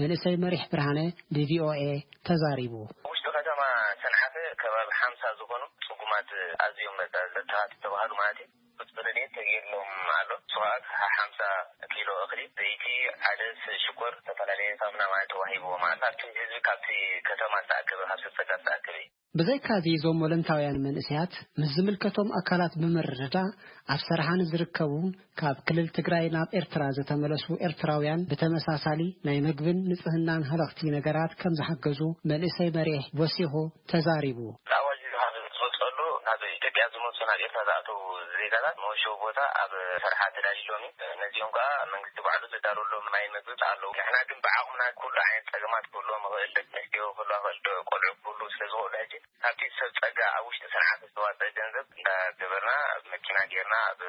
መንእሰይ መሪሕ ብርሃነ ብቪኦኤ ተዛሪቡ። ውሽጢ ከተማ ሰንዓፈ ከባቢ ሓምሳ ዝኾኑ ጽጉማት ኣዝዮም በቃ ተኻቲ ዝተባሃሉ ማለት እዩ። ቁፅሪ ረድኤት ተገይርሎም ኣሎ። ንሱ ከዓ ሓምሳ ኪሎ እኽሊ፣ ዘይቲ፣ ዓደስ፣ ሽኮር፣ ዝተፈላለየ ሳሙና ማለት ተዋሂብዎም ኣሎ። ካብቲ ህዝቢ ካብቲ ከተማ ዝተኣከበ፣ ካብ ሰብ ጸጋ ዝተኣከበ እዩ። ብዘይካዚ እዞም ወለንታውያን መንእሰያት ምስ ዝምልከቶም ኣካላት ብምርድዳእ ኣብ ሰረሓ ንዝርከቡ ካብ ክልል ትግራይ ናብ ኤርትራ ዝተመለሱ ኤርትራውያን ብተመሳሳሊ ናይ ምግብን ንጽህናን ሃለኽቲ ነገራት ከም ዝሓገዙ መንእሰይ መሪሕ ወሲኹ ተዛሪቡ። ኣዋጅ ካብ ዝወፀሉ ናብ ኢትዮጵያ ዝመፁ ናብ ኤርትራ ዝኣተው ዜጋታት መወሸዊ ቦታ ኣብ ሰረሓ ተዳልዩሎም እዩ። ነዚኦም ከዓ መንግስቲ ባዕሉ ዘዳለወሎም ማይ ምግቢ ኣለዉ። ንሕና ግን ብዓቕምና ኩሉ ዓይነት ፀገማት ክህልዎም ይኽእል፣ ደቂ ኣንስትዮ ክህልዋ ይኽእል፣ ቆልዑ ክህሉ ስለ ዝኽእሉ ሕጂ ካብቲ ሰብ ጸጋ ኣብ ውሽጢ ሰንዓፈ ዝተዋፀ ገንዘብ እንዳገበርና ኣብ መኪና ጌርና ኣብ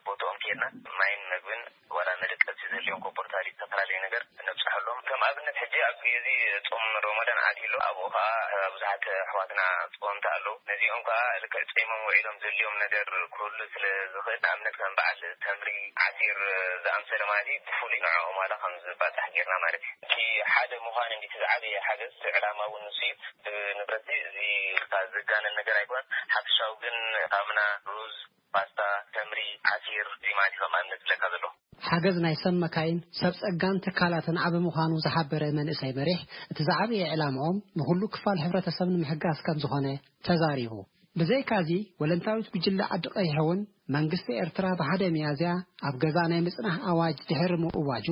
ቦታኦም ኬድና ማይን መግብን ዋላ መደቀሲ ዘድልዮም ኮቦርታሊ ዝተፈላለየ ነገር ነብፅሐሎም። ከም ኣብነት ሕጂ ኣብ ግዜ ጾም ሮመዳን ኣትዩ ኣሎ። ኣብኡ ኸዓ ብዙሓት ኣሕዋትና ጾምቲ ኣለዉ። ነዚኦም ከኣ ልክዕ ጾሞም ውዒሎም ዘድልዮም ነገር ክህሉ ስለ ዝኽእል፣ ንኣብነት ከም በዓል ተምሪ፣ ዓሲር ዝኣምሰለ ማለት እዩ፣ ብፍሉይ ንዕኦም ዋላ ከም ዝባጻሕ ጌርና ማለት እዩ። እቲ ሓደ ምዃን እንዲ እቲ ዝዓበየ ሓገዝ፣ እቲ ዕላማ እውን ንሱ እዩ። ብንብረት እዚ ኢልካ ዘጋነን ነገር ኣይኮነን። ሓፈሻዊ ግን ሳሙና፣ ሩዝ፣ ፓስታ፣ ተምሪ፣ ዓሲር፣ እዚ ማለት ከም ኣብነት ዝለካ ዘሎ። ሓገዝ ናይ ሰብ መካይን፣ ሰብ ጸጋን ትካላትን ዓቢ ምዃኑ ዝሓበረ መንእሰይ መሪሕ፣ እቲ ዝዓበየ ዕላምኦም ንኹሉ ክፋል ሕብረተሰብ ንምሕጋዝ ከም ዝኾነ ተዛሪቡ። ብዘይካዚ፣ ወለንታዊት ጉጅለ ዓዲ ቀይሕ እውን መንግስቲ ኤርትራ ብ ሓደ ሚያዝያ ኣብ ገዛ ናይ ምጽናሕ ኣዋጅ ድሕሪ ምእዋጁ፣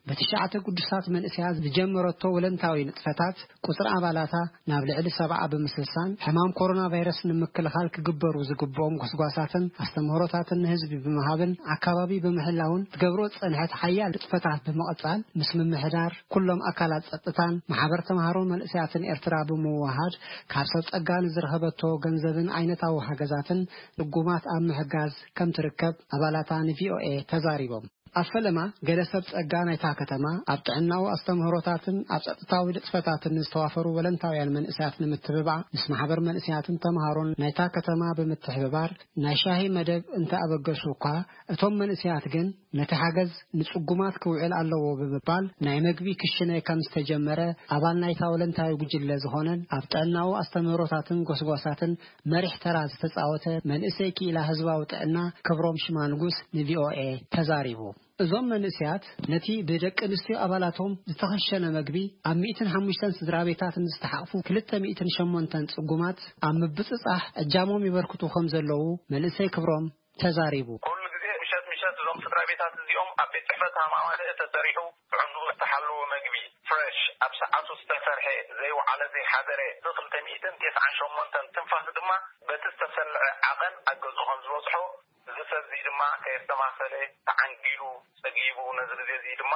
ብትሽዓተ ግዱሳት መንእሰያት ዝጀመረቶ ወለንታዊ ንጥፈታት፣ ቁጽሪ ኣባላታ ናብ ልዕሊ ሰብዓ ብምስሳን፣ ሕማም ኮሮና ቫይረስ ንምክልኻል ክግበሩ ዝግብኦም ጎስጓሳትን ኣስተምህሮታትን ንህዝቢ ብምሃብን ኣካባቢ ብምሕላውን ትገብሮ ዝጸንሐት ሓያል ንጥፈታት ብምቕጻል፣ ምስ ምምሕዳር ኩሎም ኣካላት ጸጥታን ማሕበር ተምሃሮ መንእሰያትን ኤርትራ ብምውሃድ፣ ካብ ሰብ ጸጋ ንዝረኸበቶ ገንዘብን ዓይነታዊ ሓገዛትን ድጉማት ኣብ ምሕጋዝ ከም ትርከብ ኣባላታ ንቪኦኤ ተዛሪቦም። ኣብ ፈለማ፣ ገለ ሰብ ጸጋ ናይታ ከተማ ኣብ ጥዕናዊ ኣስተምህሮታትን ኣብ ጸጥታዊ ንጥፈታትን ዝተዋፈሩ ወለንታውያን መንእሰያት ንምትብባዕ፣ ምስ ማሕበር መንእሰያትን ተምሃሮን ናይታ ከተማ ብምትሕብባር ናይ ሻሂ መደብ እንተ ኣበገሱ እኳ፣ እቶም መንእሰያት ግን ነቲ ሓገዝ ንጽጉማት ክውዕል ኣለዎ ብምባል፣ ናይ መግቢ ክሽነ ከም ዝተጀመረ ኣባል ናይታ ወለንታዊ ጉጅለ ዝኾነን ኣብ ጥዕናዊ ኣስተምህሮታትን ጎስጓሳትን መሪሕ ተራ ዝተጻወተ መንእሰይ ክኢላ ህዝባዊ ጥዕና ክብሮም ሽማንጉስ ንቪኦኤ ተዛሪቡ። እዞም መንእሰያት ነቲ ብደቂ ኣንስትዮ ኣባላቶም ዝተኸሸነ መግቢ ኣብ ሚእትን ሓሙሽተን ስድራ ቤታት ንዝተሓቕፉ ክልተ ሚእትን ሸሞንተን ጽጉማት ኣብ ምብጽጻሕ እጃሞም ይበርክቱ ከም ዘለዉ መንእሰይ ክብሮም ተዛሪቡ። ኩሉ ግዜ ምሸት ምሸት እዞም ስድራ ቤታት እዚኦም ኣብ ቤት ጽሕፈት ሃማማለ ተሰሪሑ ጥዕንኡ ዝተሓለወ መግቢ ፍሬሽ ኣብ ሰዓቱ ዝተሰርሐ ዘይወዓለ ዘይሓደረ እዚ ክልተ ሚእትን ተስዓን ሸሞንተን ትንፋስ ድማ በቲ ዝተሰልዐ ዓቐን ኣብ ገዝኡ ከም ዝበጽሖ እዚ ሰብ እዚ ድማ ከየስተማሰለ ተዓንጊሉ ጸጊቡ ነዚ ግዜ እዚ ድማ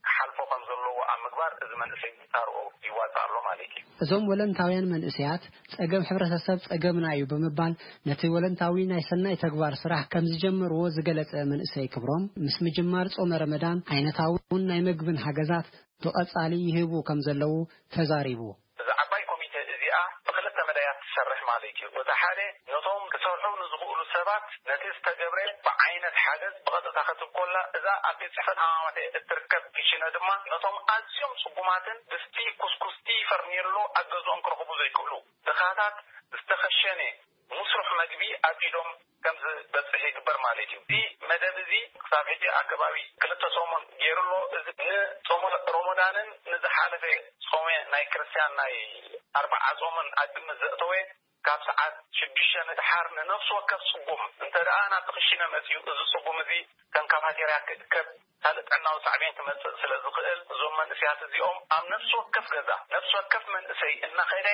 ክሓልፎ ከም ዘለዎ ኣብ ምግባር እዚ መንእሰይ ተርኦ ይዋጽእ ኣሎ ማለት እዩ። እዞም ወለንታውያን መንእሰያት ጸገም ሕብረተሰብ ጸገምና እዩ ብምባል ነቲ ወለንታዊ ናይ ሰናይ ተግባር ስራሕ ከም ዝጀመርዎ ዝገለጸ መንእሰይ ክብሮም ምስ ምጅማር ጾመ ረመዳን ዓይነታውን ናይ መግብን ሓገዛት ብቐጻሊ ይህቡ ከም ዘለዉ ተዛሪቡ። እዛ ዓባይ ኮሚተ እዚኣ ብክልተ መዳያት ትሰርሕ ማለት እዩ። እቲ ሓደ ነቶም ክሰርሑ ንዝኽእሉ ሰባት ነቲ ዝተገብረ ብዓይነት ሓገዝ ብቐጥታ ክትብ ኮላ፣ እዛ ኣብ ቤት ጽሕፈት ሃማማተ እትርከብ ክሽነ ድማ ነቶም ኣዝዮም ጽጉማትን ድስቲ፣ ኩስኩስቲ፣ ፈርኔሎ ኣብ ገዝኦም ክረኽቡ ዘይክእሉ ድኻታት ዝተኸሸነ ምስሩሕ መግቢ ኣብ ኢዶም ከም ዝበጽሕ ይግበር ማለት እዩ። እዚ መደብ እዚ ክሳብ ሕጂ ኣብ ከባቢ ክልተ ሰሙን ገይሩ ኣሎ። እዚ ንጾመ ሮሞዳንን ንዝሓለፈ ጾመ ናይ ክርስትያን ናይ ኣርብዓ ጾምን ኣብ ግምት ዘእተወ ካብ ሰዓት ሽዱሽተ ንድሓር ንነፍሲ ወከፍ ጽጉም እንተ ደኣ ናብቲ ክሽነ መጺኡ፣ እዚ ጽጉም እዚ ከም ካፋቴርያ ክእከብ ካልእ ጥዕናዊ ሳዕቤን ክመጽእ ስለ ዝኽእል፣ እዞም መንእሰያት እዚኦም ኣብ ነፍሲ ወከፍ ገዛ፣ ነፍሲ ወከፍ መንእሰይ እናኸደ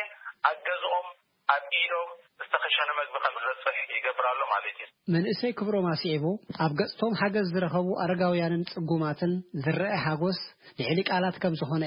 ኣብ ገዝኦም ኣብ ኢዶም ዝተኸሸነ መግቢ ከም ዝበጽሕ ይገብር ኣሎ ማለት እዩ። መንእሰይ ክብሮም ኣስዒቡ፣ ኣብ ገጽቶም ሓገዝ ዝረኸቡ ኣረጋውያንን ጽጉማትን ዝረአ ሓጎስ ልዕሊ ቃላት ከም ዝኾነ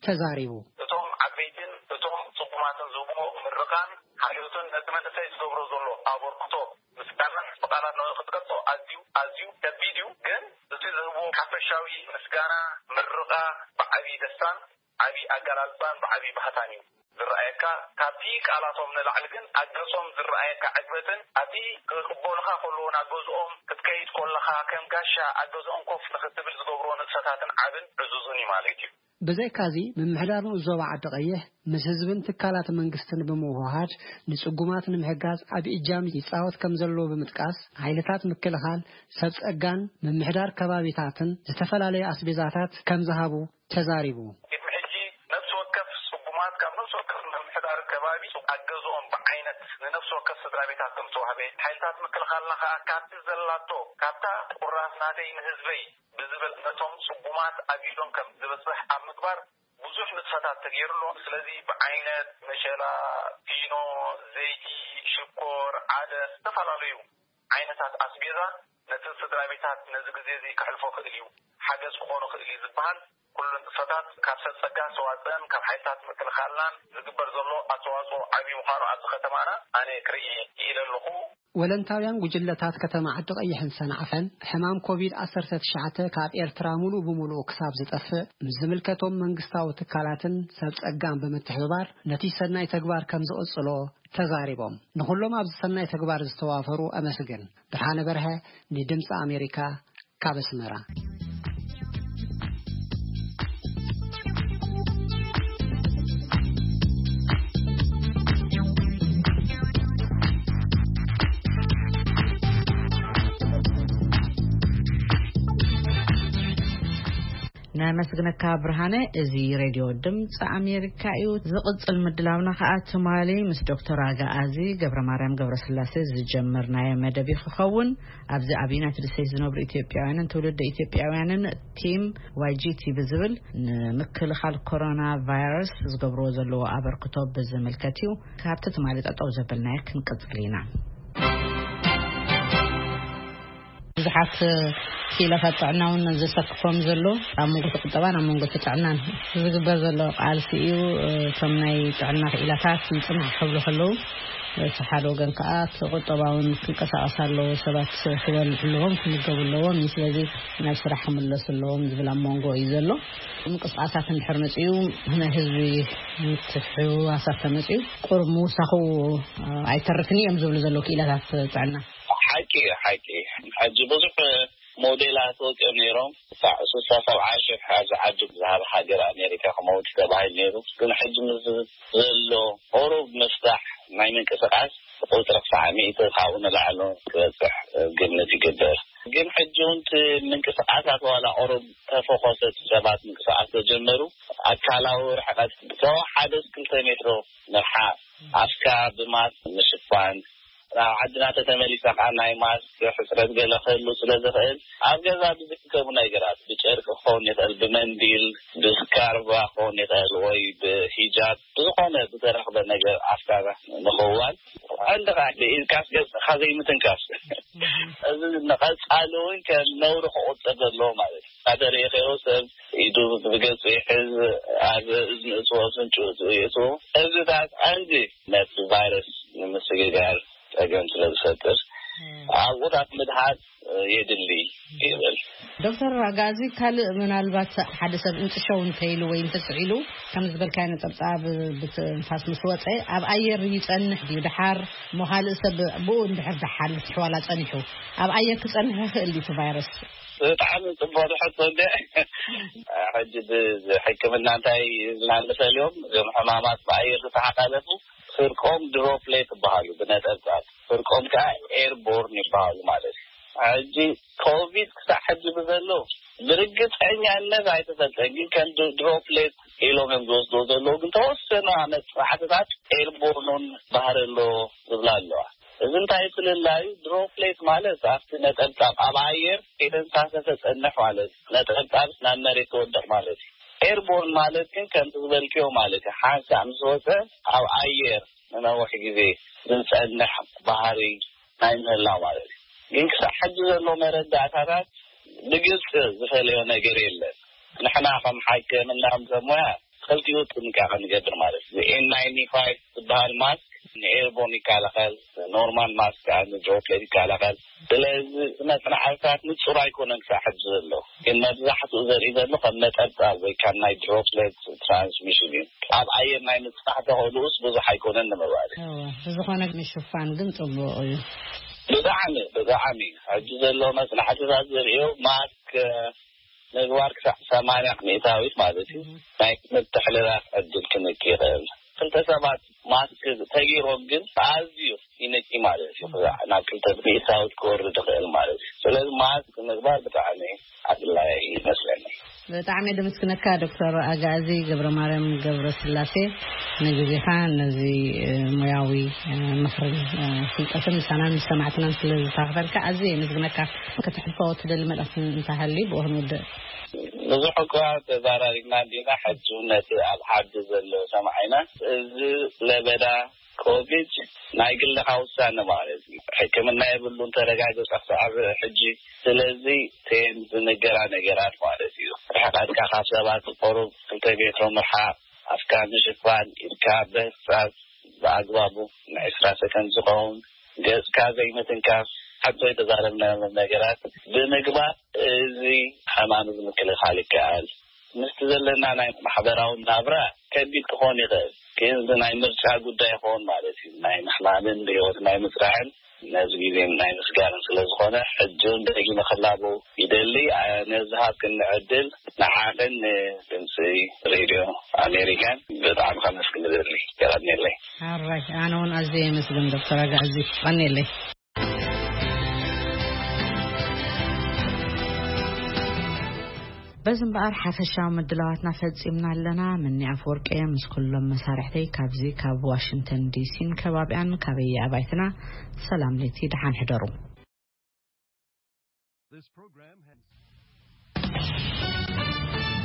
ተዛሪቡ። እቶም ዓበይትን እቶም ጽጉማትን ዝህብዎ ምርቓን ሓልዮትን ነቲ መንእሰይ ዝገብሮ ዘሎ ኣበርክቶ ምስጋና ብቓላት ንኽትገልጾ ኣዝዩ፣ ኣዝዩ ከቢድ እዩ። ግን እቲ ዝህብዎ ሓፈሻዊ ምስጋና፣ ምርቓ ብዓቢ ደስታን ዓቢ ኣገላልጻን ብዓቢ ባህታን እዩ ዝረኣየካ። ካብቲ ቃላቶም ንላዕሊ ግን ኣብ ገጾም ዝረኣየካ ዕግበትን ኣብቲ ክቕበሉኻ ከለዉ ናብ ገዝኦም ክትከይድ ከለኻ ከም ጋሻ ኣብ ገዝኦም ኮፍ ንኽትብል ዝገብርዎ ንጥፈታትን ዓብን ዕዙዝን እዩ ማለት እዩ። ብዘይካዚ፣ ምምሕዳር ንኡስ ዞባ ዓዲ ቀይሕ ምስ ህዝብን ትካላት መንግስትን ብምውህሃድ ንጽጉማት ንምሕጋዝ ዓቢ እጃም ይጻወት ከም ዘለዎ ብምጥቃስ፣ ሓይልታት ምክልኻል፣ ሰብ ጸጋን ምምሕዳር ከባቢታትን ዝተፈላለዩ ኣስቤዛታት ከም ዝሃቡ ተዛሪቡ። ቅድሚ ሕጂ ነፍሲ ወከፍ ጽጉማት ካብ ነፍሲ ወከፍ ምምሕዳር ከባቢ ኣብ ገዝኦም ብዓይነት ንነፍሲ ወከፍ ስድራ ቤታት ከም ዝተዋህበ፣ ሓይልታት ምክልኻልና ከኣ ካብቲ ዘላቶ፣ ካብታ ቁራስ ናተይ ንህዝበይ ብዝብል ነቶም ጽጉማት ኣብ ኢዶም ከም ዝበጽሕ ኣብ ምግባር ብዙሕ ንጥፈታት ተገይሩ ኣሎ። ስለዚ ብዓይነት መሸላ፣ ፊኖ፣ ዘይቲ፣ ሽኮር፣ ዓደስ፣ ዝተፈላለዩ ዓይነታት ኣስቤዛ ነቲ ስድራ ቤታት ነዚ ግዜ እዚ ከሕልፎ ክእል እዩ፣ ሓገዝ ክኾኑ ክእል እዩ ዝበሃል ኩሉ ንጥፈታት ካብ ሰብ ጸጋ ዝተዋጽአን ካብ ሓይልታት ምክልኻልናን ዝግበር ዘሎ ኣስተዋጽኦ ዓብዪ ምዃኑ ኣብዚ ከተማና ኣነ ክርኢ ክኢለ ኣለኹ። ወለንታውያን ጉጅለታት ከተማ ዓዲ ቀይሕን ሰንዓፈን ሕማም ኮቪድ ዓሰርተ ትሽዓተ ካብ ኤርትራ ሙሉእ ብሙሉእ ክሳብ ዝጠፍእ ምስ ዝምልከቶም መንግስታዊ ትካላትን ሰብ ጸጋን ብምትሕብባር ነቲ ሰናይ ተግባር ከም ዝቕጽሎ ተዛሪቦም። ንኹሎም ኣብዚ ሰናይ ተግባር ዝተዋፈሩ ኣመስግን። ብርሃነ በርሀ ንድምፂ ኣሜሪካ ካብ ኣስመራ። ነመስግነካ ብርሃነ። እዚ ሬድዮ ድምፂ ኣሜሪካ እዩ። ዝቕፅል ምድላውና ከዓ ትማሊ ምስ ዶክተር ኣጋኣዚ ገብረ ማርያም ገብረስላሴ ዝጀመርናዮ መደብ እዩ ክኸውን። ኣብዚ ኣብ ዩናይትድ ስቴትስ ዝነብሩ ኢትዮጵያውያንን ትውልደ ኢትዮጵያውያንን ቲም ዋይጂቲ ብዝብል ንምክልኻል ኮሮና ቫይረስ ዝገብርዎ ዘለዎ ኣበርክቶ ብዝምልከት እዩ። ካብቲ ትማሊ ጠጠው ዘበልናዮ ክንቅፅል ኢና። ብዙሓት ክኢላታት ጥዕና እውን ዘሰክፎም ዘሎ ኣብ መንጎ እቲ ቁጠባን ኣብ መንጎ እቲ ጥዕናን ዝግበር ዘሎ ቃልሲ እዩ። እቶም ናይ ጥዕና ክኢላታት ይፅናሕ ክብሉ ከለዉ፣ እቲ ሓደ ወገን ከዓ እቲ ቁጠባውን ክንቀሳቀስ ኣለዎ፣ ሰባት ክበልዑ ኣለዎም፣ ክምገቡ ኣለዎም፣ ስለዚ ናብ ስራሕ ክምለሱ ኣለዎም ዝብል ኣብ መንጎ እዩ ዘሎ። ምንቅስቃሳት እንድሕር መፅኡ፣ ናይ ህዝቢ ምትሕውዋሳት ተመፅኡ ቁሩብ ምውሳኹ ኣይተርፍን እዮም ዝብሉ ዘለዉ ክኢላታት ጥዕና። ሓቂ እዩ፣ ሓቂ እዩ። ሕጂ ብዙሕ ሞዴላት ወፂኦም ነይሮም። ክሳዕ ስሳ ሰብዓ ሽሕ ኣብዚ ዓዲ ዝሃብ ሃገር ኣሜሪካ ክመውት ተባሂሉ ነይሩ። ግን ሕጂ ምስ ዘሎ ቁሩብ ምፍታሕ ናይ ምንቅስቃስ ቁፅሪ ክሳዕ ሚእቲ ካብኡ ንላዕሊ ክበፅሕ ግምት ይግበር። ግን ሕጂ እውን እቲ ምንቅስቃሳት ዋላ ቁሩብ ተፈኾሰት ሰባት ምንቅስቃስ ተጀመሩ። ኣካላዊ ርሕቀት ብተወሓደ ክልተ ሜትሮ ምርሓቅ፣ ኣፍካ ብማስክ ምሽፋን፣ ናብ ዓድና ተተመሊስና ከዓ ናይ ማስክ ሕፅረት ገለ ክህሉ ስለ ዝኽእል ኣብ ገዛ ብዝርከቡ ነገራት ብጨርቂ ክኸውን ይኽእል፣ ብመንዲል፣ ብስካርባ ክኸውን ይኽእል ወይ ብሂጃብ ብዝኾነ ብዝተረኽበ ነገር ኣፍካ ምኽዋል። ቀንዲ ከዓ ብኢድካስ ገፅካ ዘይምትንካፍ። እዚ ንቐፃሊ እውን ከም ነውሪ ክቑፅር ዘለዎ ማለት እዩ። ተሪእኻዮ ሰብ ኢዱ ብገጹ ይሕዝ፣ ኣብ እዝኒ እትዎ፣ ኣፍንጭኡ እትዎ የእትዎ። እዚታት ቀንዲ ነቲ ቫይረስ ንምስግጋር ጸገም ስለ ዝፈጥር ኣብኡታት ምድሃብ የድሊ ይብል። ዶክተር ኣጋዚ፣ ካልእ ምናልባት ሓደ ሰብ እንጥሸው እንተይሉ ወይ እንተስዒሉ፣ ከም ዝበልካዮ ነጠብጣብ ብትንፋስ ምስ ወጸ ኣብ ኣየር ይጸንሕ ድዩ? ድሓር እሞ ካልእ ሰብ ብኡ እንድሕር ድሓል ትሕዋላ ጸኒሑ ኣብ ኣየር ክጸንሕ ይኽእል ድዩ እቲ ቫይረስ? ብጣዕሚ ጽቡቕ ሕቶ እንደ ሕጂ ብሕክምና እንታይ ኢልና ንፈልዮም? እዞም ሕማማት ብኣየር ዝተሓላለፉ ፍርቆም ድሮፕሌት ይበሃሉ፣ ብነጠብጣብ ፍርቆም ከዓ ኤርቦርን ይበሃሉ ማለት እዩ። ሕጂ ኮቪድ ክሳብ ሕጂ ብዘሎ ብርግፀኛነት ኣይተፈልጠን፣ ግን ከም ድሮፕሌት ኢሎም እዮም ዝወስድዎ ዘለዉ። ግን ተወሰኑ መፅናዕትታት ኤርቦርኑን ባህሪ ኣሎ ዝብላ ኣለዋ። እዚ እንታይ ፍልላዩ? ድሮፕሌት ማለት ኣብቲ ነጠብጣብ ኣብ ኣየር ከይተንሳፈፈ ጸንሕ ማለት፣ ነጠብጣብ ናብ መሬት ክወድቕ ማለት እዩ። ኤርቦርን ማለት ግን ከምቲ ዝበልክዮ ማለት እዩ። ሓንሳእ ምስ ወጸ ኣብ ኣየር ንነዊሕ ግዜ ዝጸንሕ ባህሪ ናይ ምህላው ማለት እዩ። ግን ክሳብ ሕጂ ዘሎ መረዳእታታት ብግልፂ ዝፈለዮ ነገር የለን። ንሕና ከም ሓኪምና፣ ከም ሰብ ሞያ፣ ክልቲኡ ጥንቃቐ ንገብር ማለት እዩ። ኤን ናይንቲ ፋይቭ ዝበሃል ማስክ ንኤርቦን ይከላኸል፣ ኖርማል ማስክ ከዓ ንድሮፕሌት ይከላኸል። ስለዚ መፅናዕትታት ንፁር ኣይኮነን ክሳብ ሕጂ ዘሎ፣ ግን መብዛሕትኡ ዘርኢ ዘሎ ከም ነጠብጣብ ወይ ካብ ናይ ድሮፕሌት ትራንስሚሽን እዩ። ኣብ ኣየር ናይ ምፅናሕ ተኽእልኡስ ብዙሕ ኣይኮነን ንምባል እዩ። እወ፣ ብዝኾነ ምሽፋን ግን ፅቡቕ እዩ። ብጣዕሚ፣ ብጣዕሚ። ሕጂ ዘሎ መፅናዕትታት ዘርእዮ ማስክ ምግባር ክሳዕ ሰማንያ ሚእታዊት ማለት እዩ፣ ናይ ምትሕልላፍ ዕድል ክንኪ ይኽእል። ክልተ ሰባት ማስክ ተገይሮም ግን ኣዝዩ ይንኪ ማለት እዩ። ናብ ክልተ ሚእታዊት ክወርድ ይኽእል ማለት እዩ። ስለዚ ማስክ ምግባር ብጣዕሚ ኣድላይ ይመስለኒ። ብጣዕሚ ደመስግነካ ዶክተር ኣጋዚ ገብረ ማርያም ገብረ ስላሴ፣ ንግዜኻ ነዚ እ፣ ሞያዊ እ፣ ምኽርን እ፣ ፍልጠትን ምሳናን ምስ ሰማዕትናን ስለ ዝተኻፈልካ ኣዝየ የመስግነካ። ከተሕልፎ ትደሊ መልእኽቲ እንተሃልዩ ብኡ ክንውድእ። ብዙሕ እኳ ተዛራሪብና እንዲና፣ ሕጂ እውን ነቲ ኣብ ዓዲ ዘሎ ሰማዒና፣ እዚ ለበዳ ኮቪድ ናይ ግልኻ ውሳነ ማለት እዩ። ሕክምና የብሉን፣ ተረጋገጸ ክሳብ ሕጂ። ስለዚ እተን ዝንገራ ነገራት ማለት እዩ፣ ርሕቀትካ ካብ ሰባት ቁሩብ ክልተ ሜትሮ ምርሓቕ፣ ኣፍካ ምሽፋን፣ ኢድካ ምህጻጽ ብኣግባቡ ንዕስራ ሰከንድ ዝኸውን፣ ገጽካ ዘይምትንካፍ፣ ሓንቲ ዝተዛረብናዮም ነገራት ብምግባር እዚ ሕማም እዚ ምክልኻል ይከኣል። ምስቲ ዘለና ናይ ማሕበራዊ ናብራ ከቢድ ክኾን ይኽእል፣ ግን እዚ ናይ ምርጫ ጉዳይ ይኸውን ማለት እዩ። ናይ ምሕማምን ብህይወት ናይ ምጽራዕን ነዚ ግዜ ናይ ምስጋርን ስለ ዝኾነ፣ ሕጂ እውን ደጊመ ክላበው ይደሊ። ነዚ ሃብክኒ ዕድል ንዓኽን ንድምፂ ሬድዮ ኣሜሪካን ብጣዕሚ ከመስግን እደሊ። የቐንየለይ። ኣራይ፣ ኣነ እውን ኣዝየ የመስግን ዶክተር ኣጋዚ። ቀንየለይ። በዚ እምበኣር ሓፈሻዊ ምድላዋትና ፈጺምና ኣለና። ምኒ ኣፈወርቂ እየ ምስ ኩሎም መሳርሕተይ ካብዚ ካብ ዋሽንግተን ዲሲን ከባቢኣን ካበየ ኣባይትና ሰላም ለይቲ ደሓን ሕደሩ። This program has